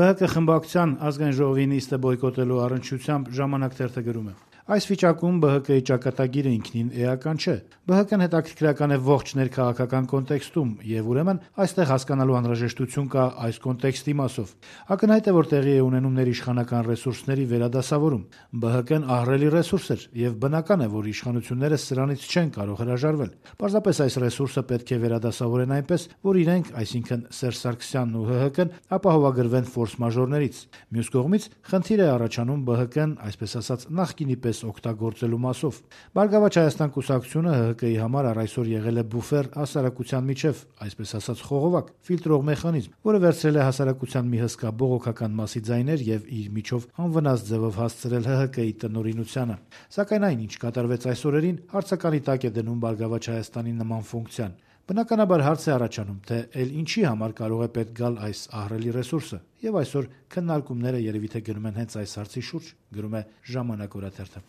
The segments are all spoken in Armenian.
ԲՀԿ խմբակցության ազգային ժողովի նիստը բոյկոտելու առնչությամբ «Ժամանակ» թերթը գրում է. այս վիճակում ԲՀԿ-ի ճակատագիրը ինքնին էական չէ։ ԲՀԿ-ն հետաքրքրական է ողջ ներքաղաքական կոնտեքստում, եւ ուրեմն այստեղ հասկանալու անհրաժեշտություն կա այս կոնտեքստի մասով։ Ակնհայտ է, որ տեղի է ունենում ներիշխանական ռեսուրսների վերադասավորում։ ԲՀԿ-ն ահռելի ռեսուրս էր, եւ բնական է, որ իշխանությունները սրանից չեն կարող հրաժարվել։ Պարզապես այս ռեսուրսը պետք է վերադասավորեն այնպես, որ իրենք, այսինքն Սերժ Սարգսյանն ու ՀՀԿ-ն, ապահովագրվեն ֆորս-մաժորներից։ Մյուս կողմից խնդիր է առաջանում ԲՀԿ-ն, այսպես ասած, նախկինի պես օգտագործելու մասով։ «Բարգավաճ Հայաստան» կուսակցությունը ՀՀԿ-ի համար առ այսօր եղել է բուֆեր հասարակության միջև, այսպես ասած խողովակ, ֆիլտրող մեխանիզմ, որը վերցրել է հասարակության մի հսկա բողոքական մասի ձայներ եւ իր միջով անվնաս ձևով հասցրել ՀՀԿ-ի տնօրինությանը։ Սակայն այն, ինչ կատարվեց այս օրերին, հարցականի տակ է դնում «Բարգավաճ Հայաստանի» նման ֆունկցիան։ Բնականաբար հարց է առաջանում, թե ինչի համար կարող է պետք գալ այս ահռելի ռեսուրսը, եւ այսօր քննարկումները երևի թե գնում են հենց այս հարցի շուրջ, գրում է «Ժամանակ» օրաթերթը։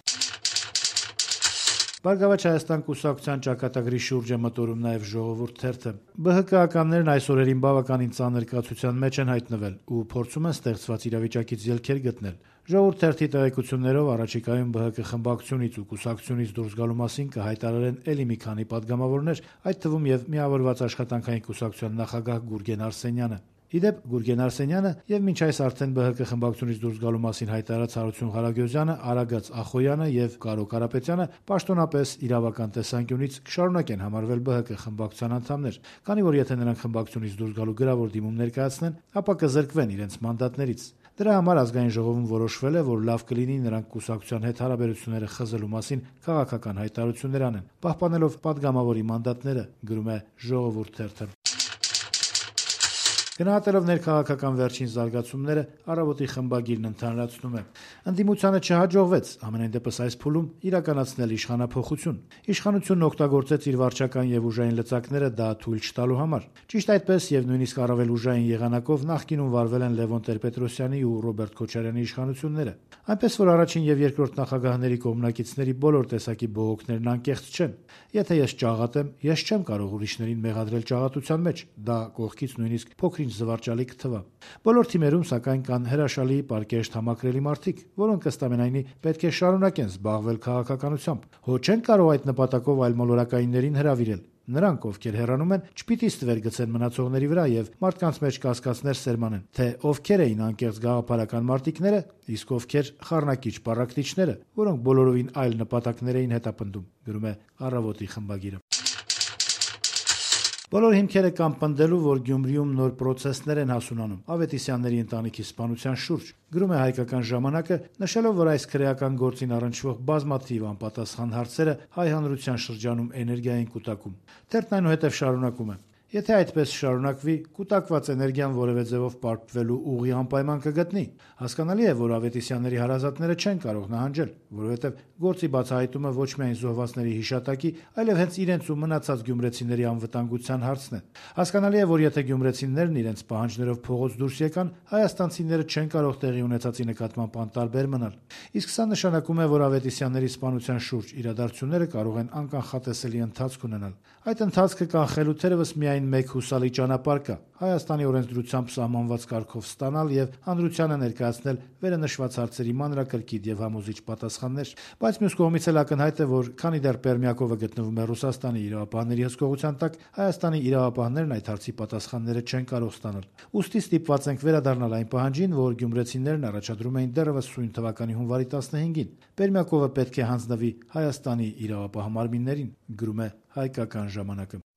«Բարգավաճ Հայաստան» կուսակցության ճակատագրի շուրջ է մտորում նաեւ «Ժողովուրդ» թերթը։ ԲՀԿ-ականներն այս օրերին բավականին ծանր կացության մեջ են հայտնվել ու փորձում են ստեղծված իրավիճակից ելքեր գտնել։ «Ժողովուրդ» թերթի տեղեկություններով առաջիկայում ԲՀԿ խմբակցությունից ու կուսակցությունից դուրս գալու մասին կհայտարարեն էլի մի քանի պատգամավորներ, այդ թվում եւ Միավորված աշխատանքային կուսակցության նախագահ Գուրգեն Արսենյանը։ Իդեպ Գուրգեն Արսենյանը եւ մինչ այս արդեն ԲՀԿ խմբակցությունից դուրս գալու մասին հայտարարած Հարություն Ղարագոզյանը, Արագած Ախոյանը եւ Կարո Կարապետյանը պաշտոնապես իրավական տեսանկյունից կշարունակեն համարվել ԲՀԿ խմբակցության անդամներ, քանի որ եթե նրանք խմբակցությունից դուրս գալու գրավոր դիմում ներկայացնեն, ապա կզրկվեն իրենց մանդատներից։ Դրա համար ազգային ժողովում որոշվել է, որ լավ կլինի նրանք կուսակցության հետ հարաբերությունները խզելու մասին քաղաքական հայտարարություններ անեն, պահպանելով պատգամավորի մանդատները, գրում է «Ժողովուրդ» թերթը։ Գնահատելով ներքաղաքական վերջին զարգացումները, «Առավոտ»-ի խմբագիրն ընդհանրացնում է. ընդդիմությանը չհաջողվեց, համենայն դեպս այս փուլում, իրականացնել իշխանափոխություն։ Իշխանությունն օգտագործեց իր վարչական եւ ուժային լծակները դա թույլ չտալու համար։ Ճիշտ այդպես եւ նույնիսկ առավել ուժային եղանակով նախկինում վարվել են Լևոն Տեր-Պետրոսյանի ու Ռոբերտ Քոչարյանի իշխանությունները։ Այնպես որ առաջին եւ երկրորդ նախագահների կողմնակիցների բոլոր տեսակի բողոքներն անկեղծ չեն։ Եթե ես ճաղատ եմ, ես չեմ կարող ուրիշներին մեղադրել ճաղատության մեջ, դա կողքից նույնիսկ փոքրինչ զվարճալի կթվա։ Բոլոր թիմերում սակայն կան հրաշալի, պարկեշտ, համակրելի մարդիկ, որոնք ըստ ամենայնի պետք է շարունակեն զբաղվել քաղաքականությամբ։ Հո չեն կարող այդ նպատակով այլմոլորակայիններին հրավիրել։ Նրանք, ովքեր հեռանում են, չպիտի ստվեր գցեն մնացողների վրա եւ մարդկանց մեջ կասկածներ սերմանեն, թե ովքեր էին անկեղծ գաղափարական մարտիկները, իսկ ովքեր խառնակիչ պառակտիչները, որոնք բոլորովին այլ նպատակներ էին հետապնդում, գրում է «Առավոտ»-ի խմբագիրը։ Բոլոր հիմքերը կան պնդելու, որ Գյումրիում նոր պրոցեսներ են հասունանում Ավետիսյանների ընտանիքի սպանության շուրջ, գրում է «Հայկական ժամանակ»-ը, նշելով, որ այս քրեական գործին առնչվող բազմաթիվ անպատասխան հարցերը հայ հանրության շրջանում էներգիա են կուտակում։ Թերթն այնուհետև շարունակում է. եթե այդպես շարունակվի, կուտակված էներգիան որևէ ձևով պարփվելու ուղի անպայման կգտնի։ Հասկանալի է, որ Ավետիսյանների հարազատները չեն կարող նահանջել, որովհետև գործի բացահայտումը ոչ միայն զոհվածների հիշատակի, այլև հենց իրենց ու մնացած գյումրեցիների անվտանգության հարցն է։ Հասկանալի է, որ եթե գյումրեցիներն իրենց պահանջներով փողոց դուրս եկան, հայաստանցիները չեն կարող տեղի ունեցածի նկատմամբ անտարբեր մնալ։ Իսկ սա նշանակում է, որ Ավետիսյանների սպանության շուրջ իրադարձությունները կարող են անկանխատեսելի ընթացք ունենալ։ Այդ ընթացքը կանխելու թերևս միայն մեկ հուսալի ճանապարհ կա՝ Հայաստանի օրենսդրությամբ սահմանված կարգով ստանալ եւ հանրությանը ներկայացնել վերանշված հարցերի մանրակրկիտ եւ համոզիչ պատասխաններ։ Բայց մյուս կողմից էլ ակնհայտ է, որ քանի դեռ Պերմյակովը գտնվում է Ռուսաստանի իրավապահների հսկողության տակ, Հայաստանի իրավապահներն այդ հարցի պատասխանները չեն կարող ստանալ։ Ուստի ստիպված ենք վերադառնալ այն պահանջին, որ գյումրեցիներն առաջադրում էին դեռևս սույն թվականի հունվարի 15-ին։ Պերմյակովը պետք է հանձնվի Հայաստանի իրավապահ մարմիններին, գրում է «Հայկական ժամանակ»-ը։